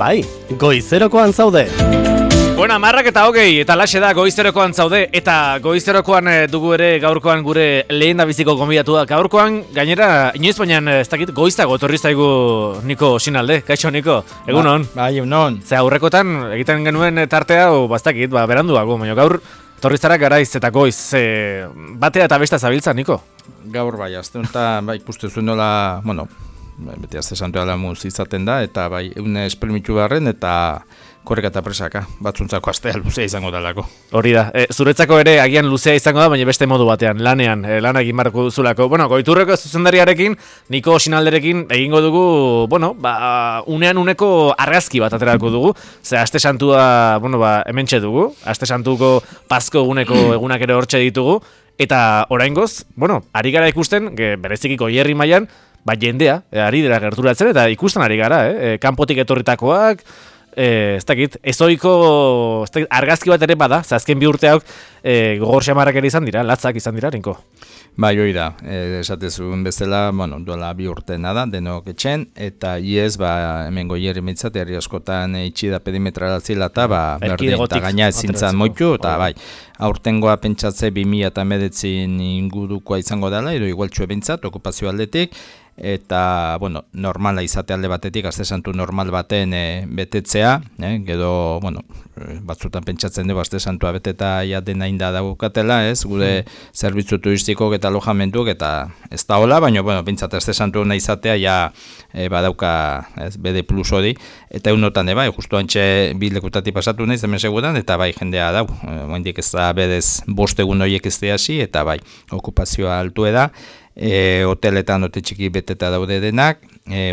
Bai, goizerokoan zaude. Bueno, 10:08 eta laxe da goizerokoan zaude eta goizerokoan dugu ere gaurkoan gure lehendabiziko gonbidatua. Gaurkoan gainera inoiz baina ez dakit goizago etorri zaigu Niko Sinalde. Kaixo Niko, egunon. Bai, egunon. Ze aurrekotan egiten genuen tartea hau bastakit, beranduago, baina gaur etorri zara garaiz eta goiz. Batea eta besta zabiltza, Niko. Gaur bai, azte honetan bai ikuste zuen nola, bueno, beti azte santua lamuz izaten da, eta bai, egun espermitu beharren, eta korreka eta presaka, batzuntzako astea luzea izango dalako. Hori da, zuretzako ere agian luzea izango da, baina beste modu batean, lanean, lan egin barko duzulako. Bueno, Goiturreko zuzendariarekin, Niko Sinalderekin egingo dugu, bueno, unean uneko argazki bat aterako dugu, ze aste santua, bueno, hementxe dugu, aste santuko Pasko eguneko egunak ere hortxe ditugu, eta oraingoz, bueno, ari gara ikusten, berezikiko hierri mailan, jendea, ari dira gerturatzen, eta ikusten ari gara, kanpotik etorritakoak, ez dakit, ezoiko argazki bat ere bada, azken bi urteak gogor xamarrak ere izan dira, latzak izan dira, Niko. Bai, hori da, esatezun bezala, bueno, duela bi urtena da, denok etxen, eta iez, hemen goierri mitzat, herri askotan itxida perimetrala zila, eta berdin, eta gaina ezintzan moitu, eta bai, aurtengoa pentsatze 2019 ingurukoa izango dela, edo igualtxue bintzat, okupazio aldetik, eta, bueno, normala izate alde batetik, aste santu normal baten betetzea, gero, bueno, batzutan pentsatzen dugu aste santua beteta ja dena inda daukatela, ez, gure zerbitzu turistikok eta alojamentuk, eta ez da hola, baina, bueno, bintzat aste santu nahi izatea, ja, badauka, ez, BD plus hori, eta egunotan, bai, justu antxe bilekutati pasatu nahi, hemen seguran, eta bai, jendea dau, oendik ez da bedez 5 egun horiek ez hasi, eta bai, okupazioa altu da, hoteletan hotel txiki beteta daude denak,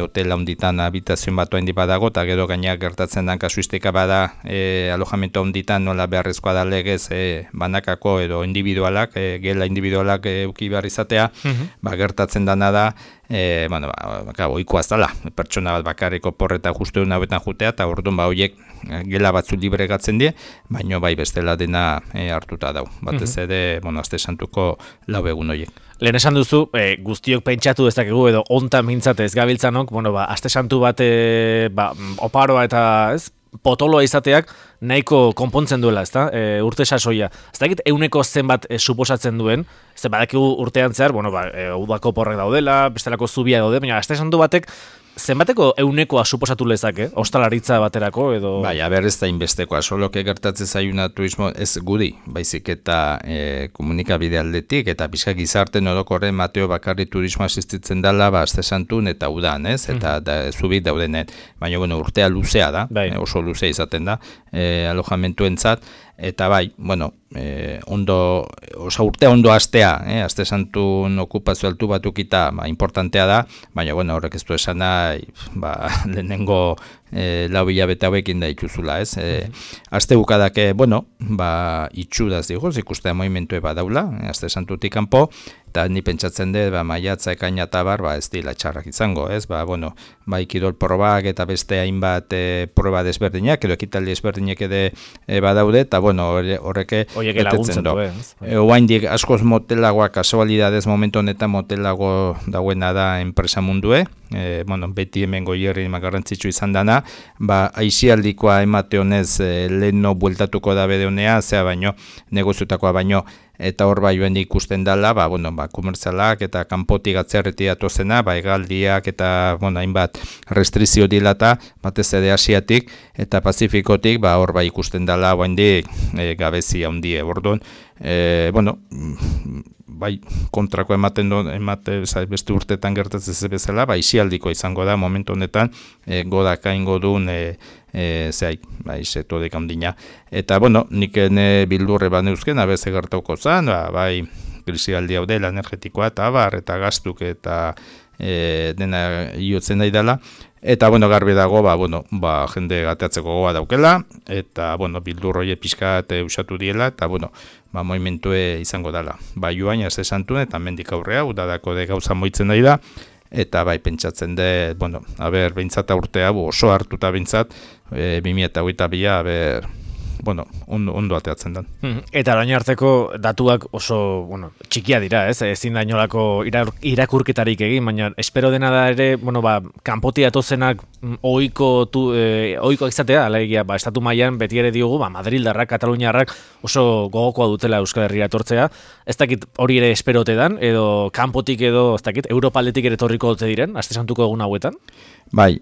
hotel handitan habitazion bat oendi badago, eta gero gainak gertatzen den kasuistika bada alojamento handitan nola beharrezkoa da legez banakako edo individualak, gela individualak euki behar izatea, gertatzen dena da, bueno, oikoaz dela, pertsona bat bakarriko porreta justu egun hauetan jutea, eta orduan horiek gela batzu libregatzen die, baino bai bestela dena hartuta dau. Batez ere, bueno, aste santuko 4 egun horiek. Lehen esan duzu, guztiok pentsatu dezakegu edo ontan mintzate ez gabiltzanok, bueno, aste santu bat oparoa eta ez, potoloa izateak nahiko konpontzen duela, ezta? Urte sasoia. Ez dakit euneko zenbat suposatzen duen, ze badakigu urtean zehar, bueno, udako porrak daudela, bestelako zubia daude, baina aste santu batek zenbateko eunekoa suposatu lezake, ostalaritza baterako edo... Bai, ez da inbestekoa, soloke gertatzen zaiuna turismo ez guri, baizik eta komunikabide aldetik, eta pixka gizarte orokorren Mateo bakarri turismo asistitzen dela, aste santun eta udan, ez? Eta zubit daudenet, baina bueno, urtea luzea da, oso luzea izaten da, alojamentuentzat, eta bai, bueno, urtea ondo astea, aste santun okupazio altu batukita, importantea da, baina bueno, horrek ez du esan nahi, lehenengo 4 hilabete hauekin da ituzula, ez? Aste bukadak, bueno, itxudaz digoz, ikustea movimentue badaula, aste santutik kanpo, eta ni pentsatzen dut, maiatza ekaina eta bar, ez dila txarrak izango, ez? Bueno, kirol probak eta beste hainbat proba desberdinak, edo ekitaldi desberdinak ere badaude, eta bueno, horreke betetzen do. Oaindik askoz motelagoak, kasualidadez momentu honetan motelago dagoena da enpresa mundue, bueno, beti hemen goierri garrantzitsu izan dana, aizialdikoa emate honez leheno bueltatuko da bede honea, zea baino, negoziutakoa baino, eta hor joan ikusten dela, komertzialak eta kanpotik atzerreti datozena, hegaldiak eta, hainbat restrizio dilata, batez ere Asiatik eta Pazifikotik, hor ikusten dela, gabezi handi orduan, bueno, kontrako beste urtetan gertatzen ze bezala, isialdiko izango da, momentu honetan, godaka ingo duen, setodik handina. Eta, bueno, nik bildurre neuzken, abeze gertauko zan, krisialdi hau dela energetikoa, eta gaztuk, eta dena iotzen nahi dela. Eta, bueno, garbi dago, jende gateatzeko goa daukela, eta, bueno, bildurroi pixka usatu diela, eta, bueno, movimentue izango dela. Joan, aste santuen, eta mendik aurrea, udadako de gauza moitzen nahi da, eta bai pentsatzen dut, bueno, behintzat urtea oso hartuta behintzat, 2022 bueno, ondo ateatzen den. Eta orain arteko datuak oso, bueno, txikia dira, ez? Ezin da inolako irakurketarik egin, baina espero dena da ere, bueno, kanpotik datozenak ohiko izatea, alegia, estatu mailan beti ere diogu, Madrildarrak, Kataluniarrak oso gogokoa dutela Euskal Herria etortzea. Ez dakit hori ere esperote dan, edo kanpotik edo, ez dakit, Europaldetik ere torriko dute diren, Aste Santuko egun hauetan? Bai,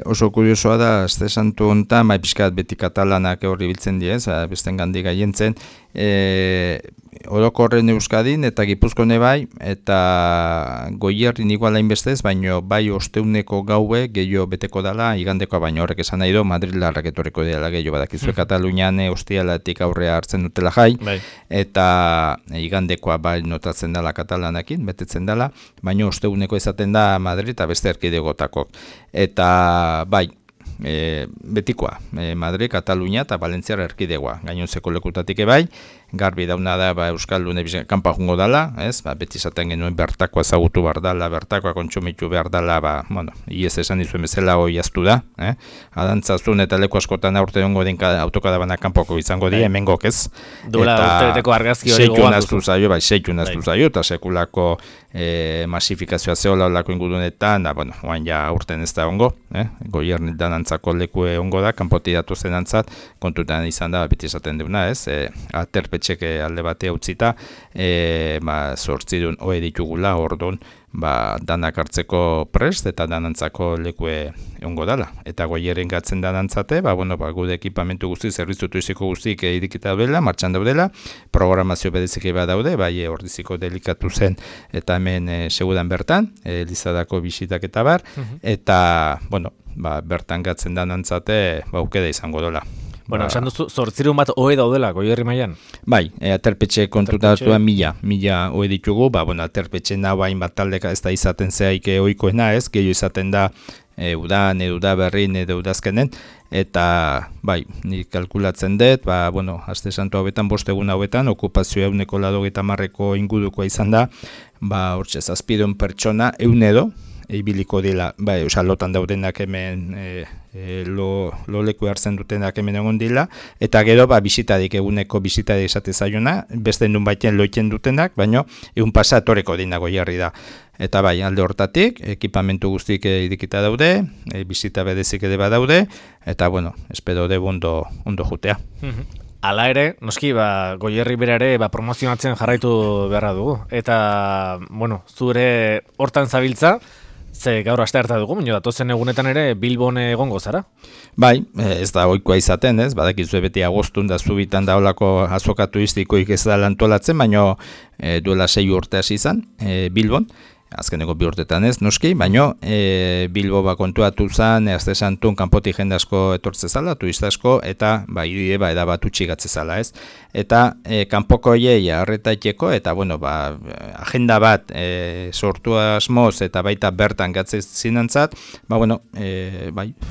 oso kuriosoa da, Aste Santu honetan, pixkat beti katalanak hori biltzen diez, besten gandik gaientzen, orokorren Euskadin eta Gipuzkoan bai, eta Goierrin igual hainbestez, baino bai osteuneko gaue gehiago beteko dela, igandekoa baino horrek esan nahi do, Madrildarrak etorriko dela gehiago badakizue Katalunian ostialatik aurrea hartzen dutela jai, eta igandekoa bai notatzen dela katalanakin, betetzen dela, baino osteuneko izaten da Madrid eta beste erkidegotakok. Eta bai, betikoa, Madrid, Katalunia eta Valentziar erkidegoa, gainontzeko lekutatik bai, garbi dauna da Euskaldun kanpa jungo dela, beti izaten genuen bertakoa ezagutu behar dela, bertakoa kontsumitu behar dela, bueno, iez esan dizuen bezala hoi aztu da, adantzazun eta leku askotan aurte dongo den autokadabana kanpoko izango di, hemengok ez. Duela urtereteko argazki hori gogoan duzu. Seitu naztu zaio, eta sekulako masifikazioa zehola olako ingurunetan, da, bueno, oain ja urten ez da ongo, Goierrin danantzako leku ongo da, kanpoti datu zen antzat, kontutan izan da, beti esaten deuna, aterpetxeke alde batea utzita, zortzidun hoe ditugula, orduan, danak hartzeko prest eta danantzako lekue ongo dala. Eta Goierrin gatzen danantzate, gude ekipamentu guzti, zerbitzutu iziko guztik idikita daudela, martxan daudela, programazio bedezike bat daude, bai ordiziko delikatu zen, eta hemen segudan bertan, Elizadako bisitak eta bar, eta, bertan gatzen danantzate, aukeda izango dola. Bueno, esan duzu, 800 bat hoe daudela, Goierri mailan? Bai, aterpetxe kontutatuan 1000 hoe ditugu, aterpetxe nahu hainbat taldeka ez da izaten zehaik ohikoena ez, gehiago izaten da udan, eduda berrin, edo udazkenen, eta, bai, nik kalkulatzen dut, Aste Santu hauetan, 5 egun hauetan, okupazioa 190 ingurukoa izan da, hortxe, 700 pertsona, edo, ibiliko dela, lotan daudenak hemen lo leku hartzen dutenak hemen egon dila, eta gero bisitadik eguneko bisitadik esate zaiona, beste nun baiten loiten dutenak, baino egun pasatoreko dina Goierri da. Eta bai, alde hortatik, ekipamentu guztik idikita daude, bisita bedezik ere badaude, eta bueno, espero de ondo jutea. Hala ere, noski, Goierri bera ere promozionatzen jarraitu beharra dugu. Eta, bueno, zure hortan zabiltza, ze gaur aste harta dugu, baina datozen egunetan ere Bilbon egongo zara? Bai, ez da ohikoa izaten, badakizue beti agostun da zubitan da olako azoka turistikoik ez da antolatzen, baina duela 6 urte hasi izan Bilbon, azkeneko 2 urtetan ez, noski, baina Bilbo kontuatu zen, Aste Santun kanpotik jende asko etortze zala, turista asko, eta idie eda bat utxigatze zala, ez? Eta kanpoko hiei arretaiteko, eta bueno, agenda bat sortu asmoz, eta baita bertan gatze zinantzat,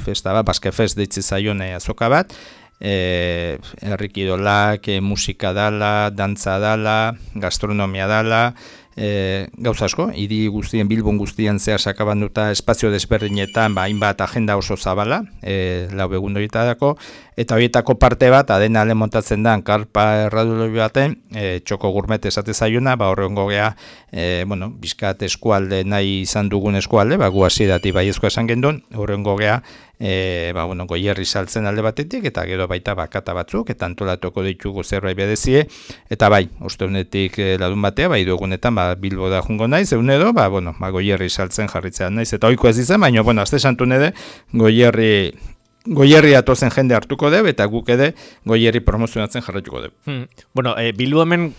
festa bat, Baske Fest deitze zaion azoka bat, herrikidolak, musika dala, dantza dala, gastronomia dala, gauza asko, hiri guztien, Bilbon guztien zehar sakabanduta espazio desberdinetan, hainbat agenda oso zabala, 4 egun horietako, eta horietako parte bat, adena ale montatzen da, karpa erraduloi baten, txoko gurmet esate zaiona, horrengo gea, bizkat eskualde nahi izan dugun eskualde, gu hasieratik baiezkoa esan gendun, horrengo gea, Goierri saltzen alde batetik, eta gero baita bakata batzuk, eta antolatuko ditugu zerbait bedezie, eta bai, osteunetik ladun batea, dugunetan, Bilbo da jungo naiz, edo, Goierri saltzen jarritzean naiz, eta ohiko ez izan, baina, Aste Santun ere, Goierri atozen jende hartuko deu, eta guk ere Goierri promozionatzen jarraituko deu. Bueno, Bilbo hemen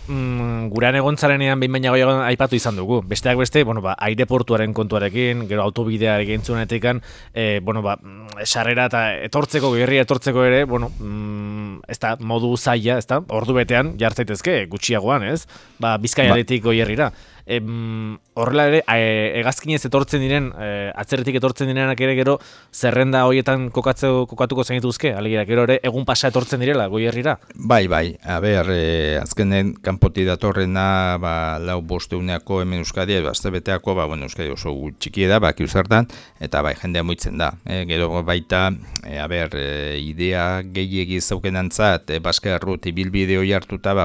gurean egontzarenean behin baina goiagoan aipatu izan dugu. Besteak beste, aireportuaren kontuarekin, gero autobidea egintzunetik, sarrera eta Goierri etortzeko ere, ez da, modu zaila, ez da, ordu betean jartzaitezke, gutxiagoan, ez? Bizkaiaretik Goierrira. Horrela ere, hegazkinez etortzen diren, atzerretik etortzen direnak ere gero, zerrenda horietan kokatuko zenituzke, alegira, gero ere, egun pasa etortzen direla, Goierrira? Bai, azkenen kanpoti datorrena, lau bosteuneako hemen Euskadi, aztebeteako, Euskadi oso txiki da, kiuzertan, eta jendea muitzen da. Gero baita, idea gehiegi zaukenantzat, Baske Arrut ibilbide hori hartuta,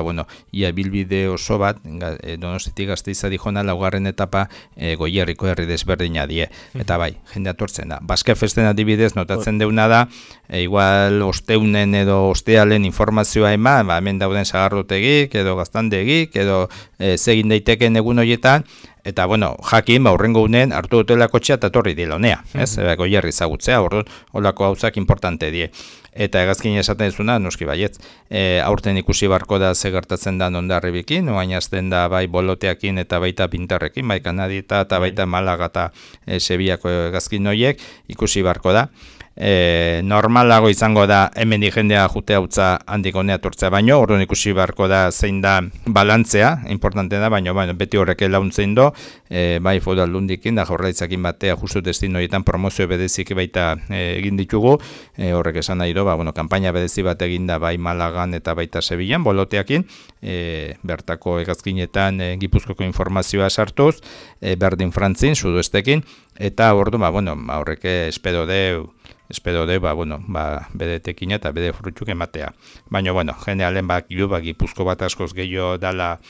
ia ibilbide oso bat, Donostitik Gasteiza dijona, laugarren etapa Goierriko herri desberdina die. Eta jendea tortzen da. Baske Festen adibidez, notatzen deuna da, igual osteunen edo ostealen informazioa eman, hemen dauden sagarrotegik, edo gaztandegik, edo zegin daiteken egun horietan, eta, jakin, urrengo unen hartu dutela kotxea eta torri dila honea, Goierri zagutzea, holako gauzak importante die. Eta hegazkin esaten dizuna, noski baietz, aurten ikusi barko da ze gertatzen da Hondarribikin, oain azten da bai boloteakin eta baita Pintarrekin, bai Kanadita eta baita Malaga eta Sevillako hegazkin horiek ikusi barko da. Normalago izango da hemen jendea jutea utza handik honea tortzea baino, orduan ikusi beharko da zein da balantzea, importante da, baino beti horrek launtzen do, bai Foru Aldundikin da Jaurlaritzakin batea justu destinoietan promozio berezik baita egin ditugu, horrek esan nahi do, kanpaina berezi bat eginda bai Malagan eta baita Sevillan boloteakin, bertako hegazkinetan Gipuzkoako informazioa sartuz, berdin Frantzin, sudoestekin, eta ordu, horrek espero de, bedetekin eta bede frutzuk ematea. Baina, generalen Gipuzko bat askoz gehiago dala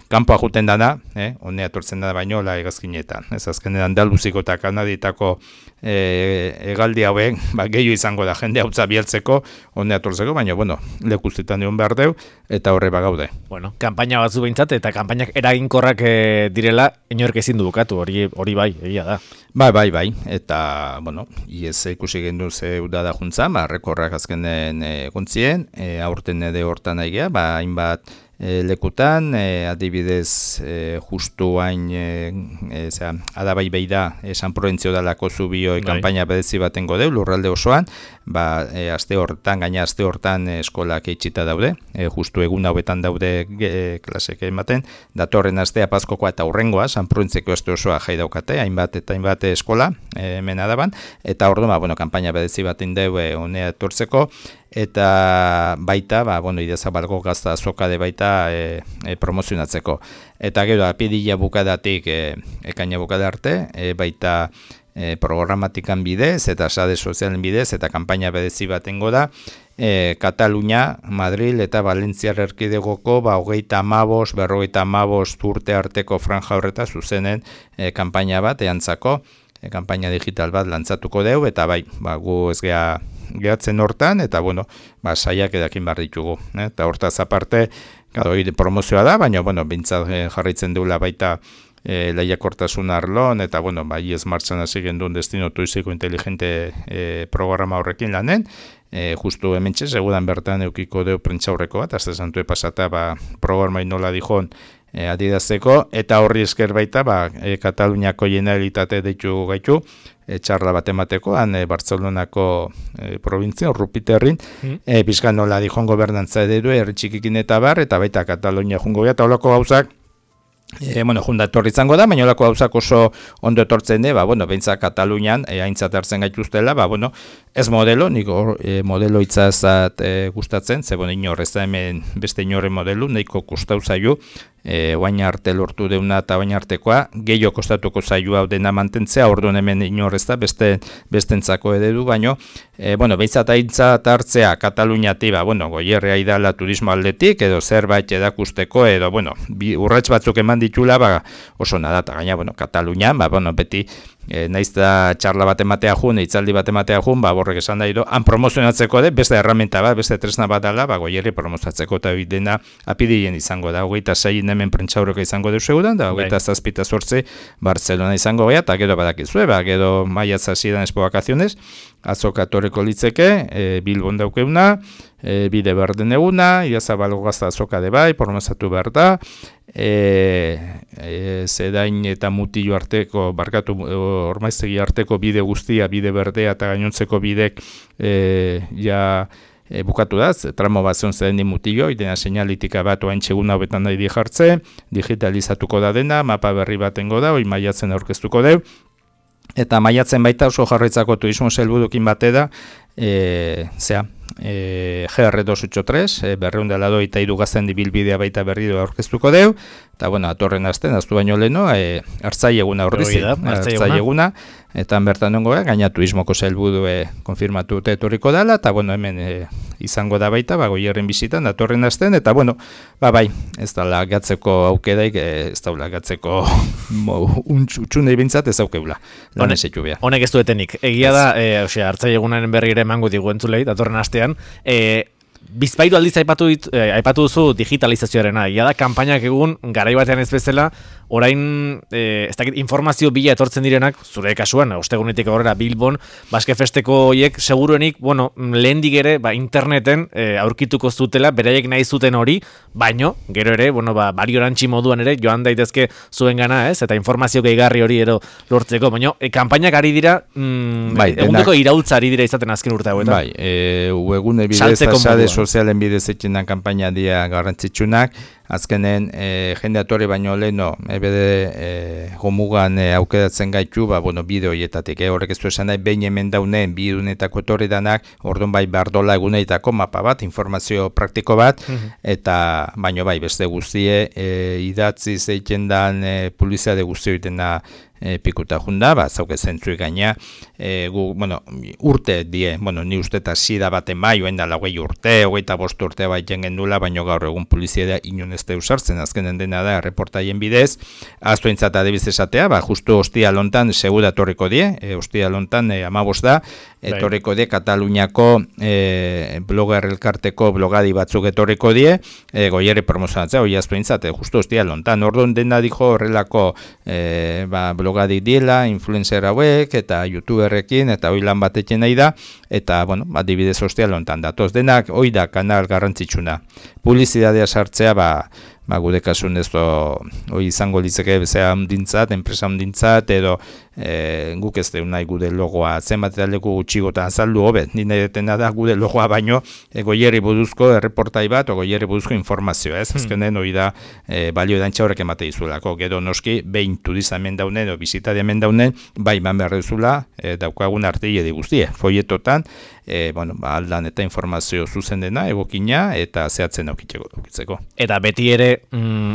kanpoa juten dana, honea tortzen da baino, hegazkinetan. Ez azkenean Andaluziko eta Kanaditako egaldi hauek, gehiago izango da jende hautza bieltzeko, honea tortzeko, baina, lekuztetan egon behar deu, eta horre bagaude. Kanpaina batzu behintzat, eta kanpainak eraginkorrak direla, inork ezin du bukatu, hori bai, egia da. Bai, eta, iez ikusi gendu ze udada juntzan, rekorrak azkenen gontzien, aurten ede hortan aigea, hainbat lekutan, adibidez justu hain adabai beida San Proventzio dalako zubioi kanpaina bedezi baten godeu, lurralde osoan, aste hortan eskolak eitxita daude, justu egun hauetan daude klasek ematen, datorren astea Pazkokoa eta urrengoa, San Proventzeko aste osoa jai daukate, hainbat eskola, hemen adaban, eta orduan, kanpaina bedezi baten deu honea etortzeko, eta baita, Idiazabalgo gazta azokade baita promozionatzeko. Eta gero, apirila bukadatik ekaina bukada arte, baita programatikan bidez, eta sare sozialen bidez, eta kanpaina bedezi batengo da, Katalunia, Madril eta Valentziar erkidegoko 35-45 urte arteko franja horreta zuzenen kanpaina bat eantzako, kanpaina digital bat lantzatuko deu, eta gu ez gehatzen hortan, eta saiak edakin behar ditugu. Eta hortaz aparte, promozioa da, baina bintzat jarraitzen duela baita lehiakortasun arlon, eta ez martxan hasi gendun destino turiziko inteligente programa horrekin lanen, justu hementxe, segudan bertan eukiko deu prentxaurreko bat, azte zantue pasata programa inola dijon adidazteko, eta horri esker baita, Kataluniako Generalitate deitu gaitu, txarla bat emateko, Bartzelonako provintzia, Rupiterrin, bizkan nola dijon gobernantza edu, herri txikikin eta baita Katalunia jungo eta holako gauzak, junda etorri izango da, baina olako gauzak oso ondo etortzen de, behintzat Katalunian aintzat hartzen gaituztela, ez modelo, nik modelo itzazat gustatzen, ze inorrez da hemen beste inorren modelu, nahiko kostau zaiu, oain arte lortu deuna eta oain artekoa, gehiago kostatuko zaiu hau dena mantentzea, orduan hemen inorrez da bestentzako eredu, baino, behintzat aintzat hartzea Kataluniati, Goierria idala turismo aldetik, edo zerbait edakusteko, edo, urrats batzuk eman ditula, oso nada, eta gaina, Katalunian, beti, naiz da txarla bat ematea jun, hitzaldi bat ematea jun, borrek esan da ido, han promozionatzeko de, beste herramienta bat, beste tresna bat dala, Goierri promozionatzeko eta dena apidien izango da, 26 hemen prentxauroko izango deu segudan, da 27 Barcelona izango gea, eta gero badakizue, gero maiatz hasieran Expo Vacaciones, azoka toreko litzeke, Bilbon daukeuna, bide berden eguna, Idiazabalgo gazta azoka de bai, promozatu behar da, zedain eta mutillo arteko, ormaiztegi arteko bide guztia, bide berdea eta gainontzeko bidek bukatu da, tramo bat zion zen mutillo, dena seinalitika bat oain txeguna hobetan nahi jartze, digitalizatuko da dena, mapa berri batengo da, hoi maiatzen aurkeztuko deu, eta maiatzen baita oso jarraitzako turismo helburukin bate da, GR283, berreundalado eta irugazten dibilbidea baita berri du aurkeztuko deu, eta bueno, atorren azten, aztu baino leheno, hartzai eguna horrizi, hartzai eguna, eta bertan nongo, gaina turismoko helburu konfirmatu dute etorriko dela, eta bueno, hemen izango da baita, Goierren bisitan, atorren azten, eta bueno, bai, ez da lagatzeko aukeraik, ez da lagatzeko utxunei bintzat ez aukeula, lan esetu behar. Honek ez duetenik, egia da, hartzai egunaren berri ere emango digu entzulei, datorren astean, bizpairu aldiz aipatu duzu digitalizazioarena. Ia da, kanpainak egun, garai batean ez bezala, orain, ez dakit, informazio bila etortzen direnak, zure kasuan, ostegunetik aurrera Bilbon, Baske Festeko horiek, seguruenik, bueno, lehendik ere, interneten aurkituko zutela, beraiek nahi zuten hori, baino, gero ere, bueno, bariorantzi moduan ere, joan daitezke zuen gana, ez? Eta informazio gehigarri hori ero lortzeko, baino, kanpainak ari dira, egundeko iraultza ari dira izaten azken urte hauetan. Bai, webgune bidez, sare sozialen bidez etxenan kanpaina dira garrantzitsunak, azkenen jende atore baino leheno ebede gomugan aukeratzen gaitu, bueno, bide horietatik, horrek ez du esan nahi, behin hemen daunen, bi dunetako etorri danak, orduan bai bardola eguneitako mapa bat, informazio praktiko bat, eta baino bai, beste guztie, idatzi zeiten dan publizitate guzti horiten da pikuta junda, zauke zentzuik gaina, urte die, ni uste eta sida baten bai, oen da lagoi urte, 25 urte baiten gendula, baino gaur egun publizidea inon ez da usartzen, azkenen dena da, reportaien bidez, aztu entzat adibiz esatea, justu hostia lontan, segura torriko die, hostia lontan, 15 da, etorriko die, Kataluniako blogger elkarteko blogadi batzuk etorriko die, Goierri promozionatzea, hoi aztu entzat, justu hostia lontan, orduan dena dijo horrelako blogadik diela, influencer hauek, eta youtuberrekin, eta hoi lan batekin nahi da, eta, adibidez hostia lontan datoz, denak hoi da kanal garrantzitsuna. Publizitatea sartzea, gude kasun ez hoi izango litzeke bezea handintzat, enpresa handintzat, edo guk ez deun nahi gude logoa zenbat eta leku gutxigotan azaldu hobet, nire detena da gude logoa baino Goierri buruzko erreportai bat, o Goierri buruzko informazioa, ez? Azkenen hori da balio edantza horrek emate izulako, gero noski, behin turiza hemen daunen, o bizitaria hemen daunen, bai man behar duzula, daukagun artegi guztie, foietotan, aldan eta informazio zuzen dena, egokina, eta zehatzen aukitzeko. Eta beti ere,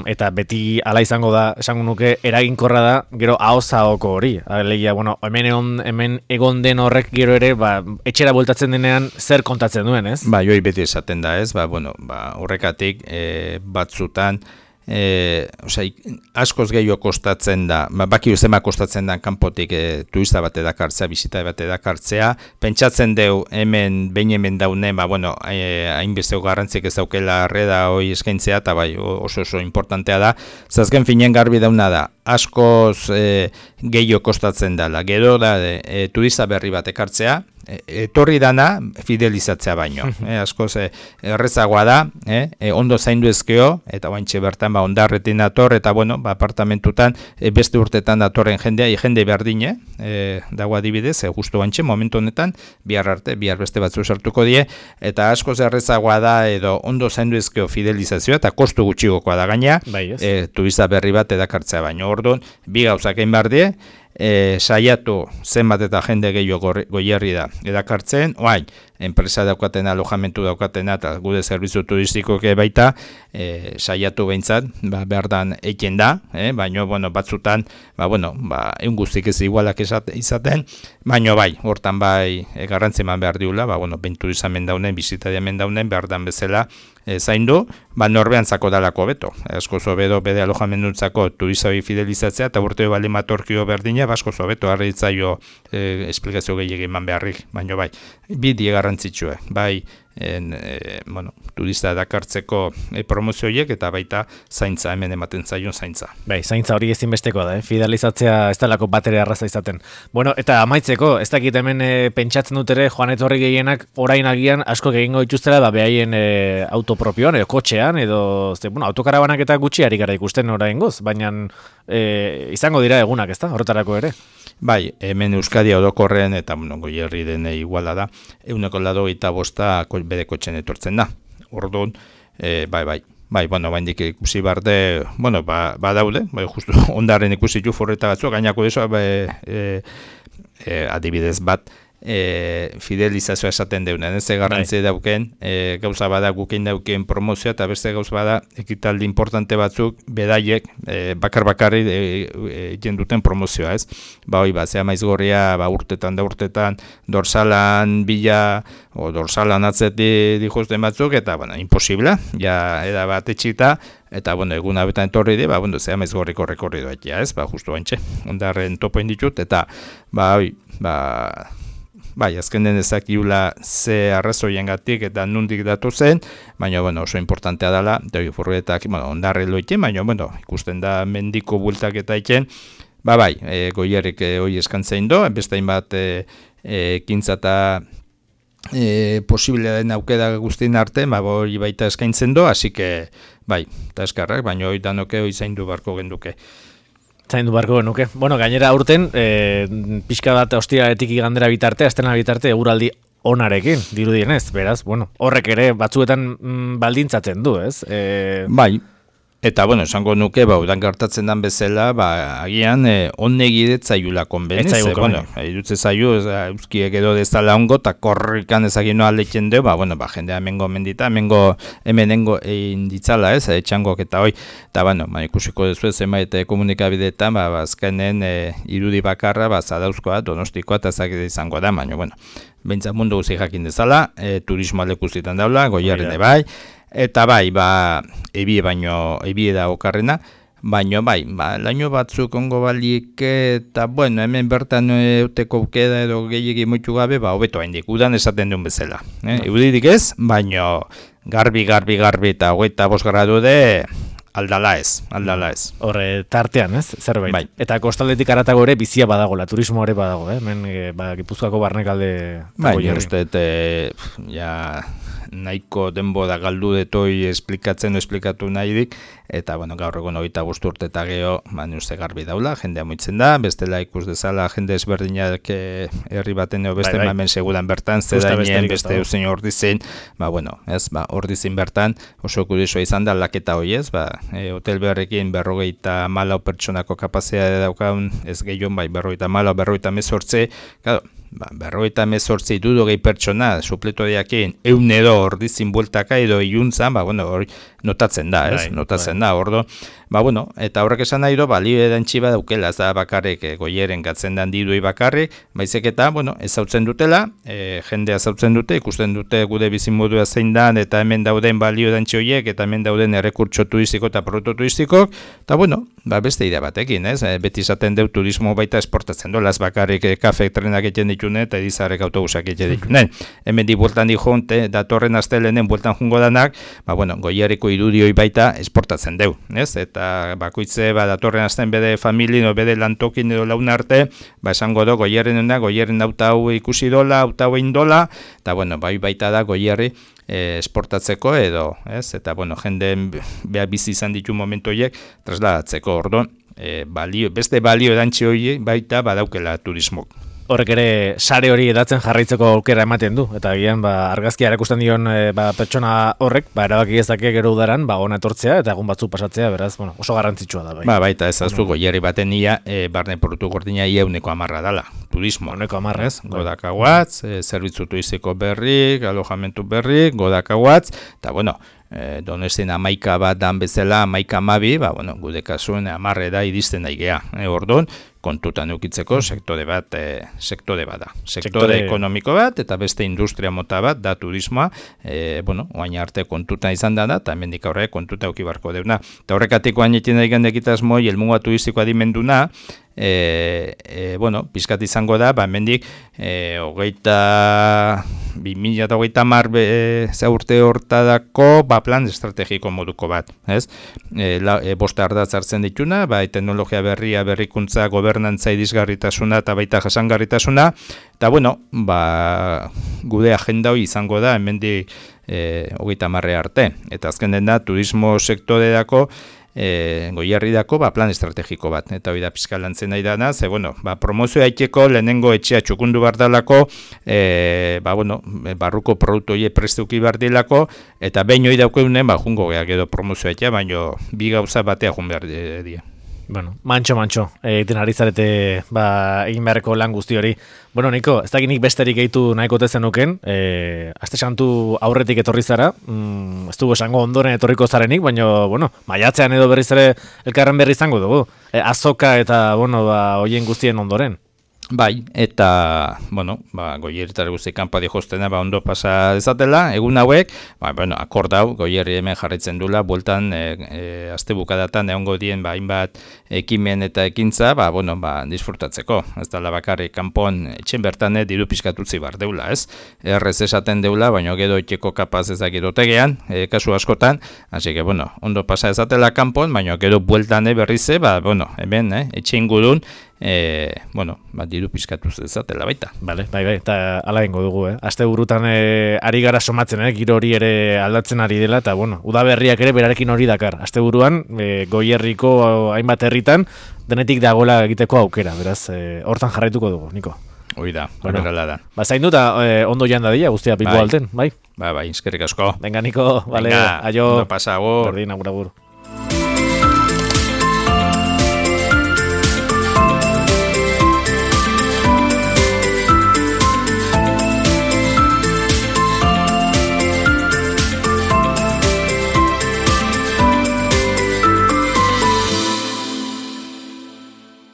eta beti ala izango da, esango nuke, eraginkorra da, gero ahozahoko hori. Alegia, hemen egon den horrek gero ere, etxera bueltatzen denean zer kontatzen duen, ez? Joi beti esaten da, ez? Horrekatik batzutan, askoz gehiago kostatzen da, baki uzema kostatzen da kanpotik turista bat edakartzea, bisita bat edakartzea, pentsatzen deu behin hemen daunen, hainbesteko garrantzik ez daukela arreda hoi eskaintzea, eta oso importantea da, zazken finen garbi dauna da, askoz gehiago kostatzen dela, gero da turista berri bat ekartzea, etorri dana fidelizatzea baino. Askoz errezagoa da, ondo zaindu ezkeo, eta baintxe bertan ondarretin dator, eta apartamentutan beste urtetan datorren jende berdine, dago adibidez, justu baintxe, momentu honetan, bihar beste batzu sartuko die, eta askoz errezagoa da, edo ondo zaindu ezkeo fidelizazioa, eta kostu gutxigokoa da gaina, turista berri bat edakartzea baino. Orduan, bi gauzak egin behar die, saiatu zenbat eta jende gehiago Goierri da edakartzen, enpresa daukatena, alojamentu daukatena, eta gude zerbitzu turistikoke baita, saiatu behintzat, behar dan eiken da, baina, batzutan, egun guztik ez igualak izaten, baina hortan garrantzi eman behar diula, benturizan mendaunen, bizitaria mendaunen, behar dan bezala, zaindu, norbean zako dalako beto. Asko zobedo bede alojamentuntzako turizoi fidelizatzea, eta urteo bali matorkio berdina, asko zobeto harritzaio esplikazio gehiagin eman beharrik, baina bidi garrantzitsua, turista dakartzeko promozioiek eta baita zaintza, hemen ematen zaion zaintza. Zaintza hori ezinbesteko da, fidelizatzea ez talako batere arraza izaten. Eta amaitzeko, ez dakit hemen pentsatzen dut ere, joan etorri gehienak orain agian asko egingo dituztela, behaien autopropioan, edo kotxean, edo autokarabanak eta gutxiarik gara ikusten orain goz, baina izango dira egunak, ez da, horretarako ere? Bai, hemen Euskadi orokorren eta Goierri denei iguala da, 185 bere kotxen etortzen da. Orduan, bai, baindik ikusi barde, badaude, justu ondaren ikusi ju forreta batzuk, gainako deso, adibidez bat, fidelizazioa esaten deunen, ez garrantzi dauken, gauza bada gukein dauken promozioa, eta beste gauza bada ekitaldi importante batzuk, bedaiek, bakarri jenduten promozioa, ez? Zea maizgorria, urtetan, dorsalan bila, o dorsalan atzeti dijuzten batzuk, eta, imposibla, eda bat etxita, eta, egun abetan etorri di, zea maizgorriko rekorridoa, ez? Justu baintxe, ondarren topoin ditut, eta, azkenen ezakiula ze arrazoiengatik eta nundik datu zen, baina oso importantea dela, furgonetak ondarre loiten, baina ikusten da mendiko bultak eta iken, Goierrik hoi eskantzein do, beste hainbat ekintza eta posibilea den aukera guztien arte, hori baita eskaintzen do, hasi que, eta eskarrak, baina hori danoke hoi zaindu barko genduke. Zaindu barko genuke. Gainera aurten, pixka bat ostiraretik igandera bitarte, astena bitarte eguraldi onarekin, dirudienez, beraz, horrek ere batzuetan baldintzatzen du, ez? Eta, esango nuke, udan gertatzen dan bezala, agian, onnegi zaiula konbenez. Idutze zaiu, euskiek edo dezala ongo, eta korrikan ezagin noa letzen du, jendea mengo mendita, hemenengo egin ditzala, ez, etxangok eta hoi. Eta, ikusiko dezu ez, zenbait komunikabideetan, azkenen irudi bakarra, zadauzkoa, donostikoa, eta ezagite izango da, behintzat mundu guzi jakin dezala, turismoa lekuzitan daula, Goierrene bai, eta ebie da okarrena, baina laino batzuk ongo balik, eta hemen bertan euteko ukeda edo gehiagi moitu gabe, hobeto haindik, udan esaten duen bezala. Eudidik ez, baina garbi eta 25 gradu de, aldala ez. Horre, tartean, ez? Zerbait. Eta kostaldetik aratago ere bizia badagola, turismo ere badago, hemen Gipuzkoako barnekalde. Uste, nahiko denbora galdu detoi esplikatu nahi dik, eta gaur egun 25 urte eta geho, uste garbi daula, jendea moitzen da, bestela ikus dezala jende ezberdinak herri baten eo beste hemen seguran bertan, zedainien beste eusen ordizin, ordizin bertan, oso kurisoa izan da laketa hoi ez, hotel beharrekin 54 pertsonako kapazitatea daukaun, ez gehion 54 claro, 58 dudogei pertsona supletoreakin edo ordizin bueltaka edo iuntzan, hori notatzen da, ez? Notatzen da, ordo. Eta horrek esan nahi do, balio edan txiba daukela, ez da bakarrik Goieren gatzen dan diduei bakarrik, baizek eta, ezautzen dutela, jendea ezautzen dute, ikusten dute gude bizimodua zein dan, eta hemen dauden balio edan txoiek, eta hemen dauden errekurtso turistiko eta produktu turistikok, eta beste idea batekin, ez? Beti izaten deu turismo baita esportatzen dola, ez bakarrik kafe trenak egiten ditune, eta edizarrek autobusak egiten ditune. Hemen di bueltan di jonte, datorren astelenen bueltan jungo danak, Goierriko irudioi baita esportatzen deu, ez? Eta bakoitze datorren azten bede familien o bede lantokin edo laun arte, esango do Goierren auta hau ikusi dola, auta hau egin dola, eta baita da Goierri esportatzeko edo, ez? Eta jendeen beha bizi izan ditu momentu horiek trasladatzeko, orduan, beste balio edantzi horiek baita badaukela turismok. Horrek ere sare hori edatzen jarraitzeko aukera ematen du, eta agian argazkia erakusten dion pertsona horrek, erabaki ezake gero udaran, ona etortzea eta egun batzuk pasatzea, beraz, oso garrantzitsua da. Baita ez azu, Goierri baten ia, barne produktu gordina ia 110 dala, turismo. 110, Godakaguatz, zerbitzu turistiko berrik, alojamentu berrik, Godakaguatz, eta Donestin 11 bat dan bezala, 11 gude kasuen 10 da iristen daigea, orduan, kontutan eukitzeko sektore bat da. Sektore ekonomiko bat eta beste industria mota bat da turismoa, oain arte kontutan izan da, eta hemendik aurre kontuta euki barko deuna. Eta horrekatiko hain daigan dekitasmoi, elmuga turistiko adimenduna, pizkat izango da, hemendik 2030 urte hortadako plan estrategiko moduko bat, ez? Bosta ardatz hartzen dituna, teknologia berria, berrikuntza, gobernantza irisgarritasuna eta baita jasangarritasuna, eta gude agenda hori izango da, hemendik 30 arte. Eta azken den da, turismo sektorerako Goierridako plan estrategiko bat, eta hori da pizka lantzen nahi dana, ze, promozioa iteko lehenengo etxea txukundu bardalako, barruko produktu hori prestuki bardilako, eta behin hori daukeunen, jungo gehiago edo promozioa itxea, baina bi gauza batea jun behar dira. Bueno, mantxo, egiten ari zarete egin beharreko lan guzti hori. Bueno, Niko, ez dakit nik besterik gehitu nahiko tezenuken, aste santu aurretik etorri zara, ez dugu esango ondoren etorriko zarenik, baina, maiatzean edo berriz ere elkarren berri izango dugu. Azoka eta, hoien guztien ondoren. Bai, eta, Goierritare guzti kanpadi jostena ondo pasa dezatela, egun hauek, akordau, Goierri hemen jarritzen dula, bueltan, aste bukadatan egongo dien, hainbat ekimen eta ekintza, disfrutatzeko. Ez dela bakarrik kanpon etxen bertan diru pizkatutzi bar deula, ez? Errez esaten deula, baina gero etxeko kapaz ezakit otegean, kasu askotan, hasi que, ondo pasa dezatela kanpon, baina gero bueltan berrize, hemen, etxe ingurun, diru pizkatuz dezatela baita. Bai, eta ala egingo dugu, Aste burutan ari gara somatzen, giro hori ere aldatzen ari dela, eta udaberriak ere berarekin hori dakar. Aste buruan, Goierriko hainbat herritan, denetik dagoela egiteko aukera, beraz, hortan jarraituko dugu, Niko. Hoi da, horrela da. Zaindu eta ondo joan dadila, guztia Bilbo alten, bai? Bai, eskerrik asko. Venga, Niko, aio. Ondo pasa, agur. Berdin, agur.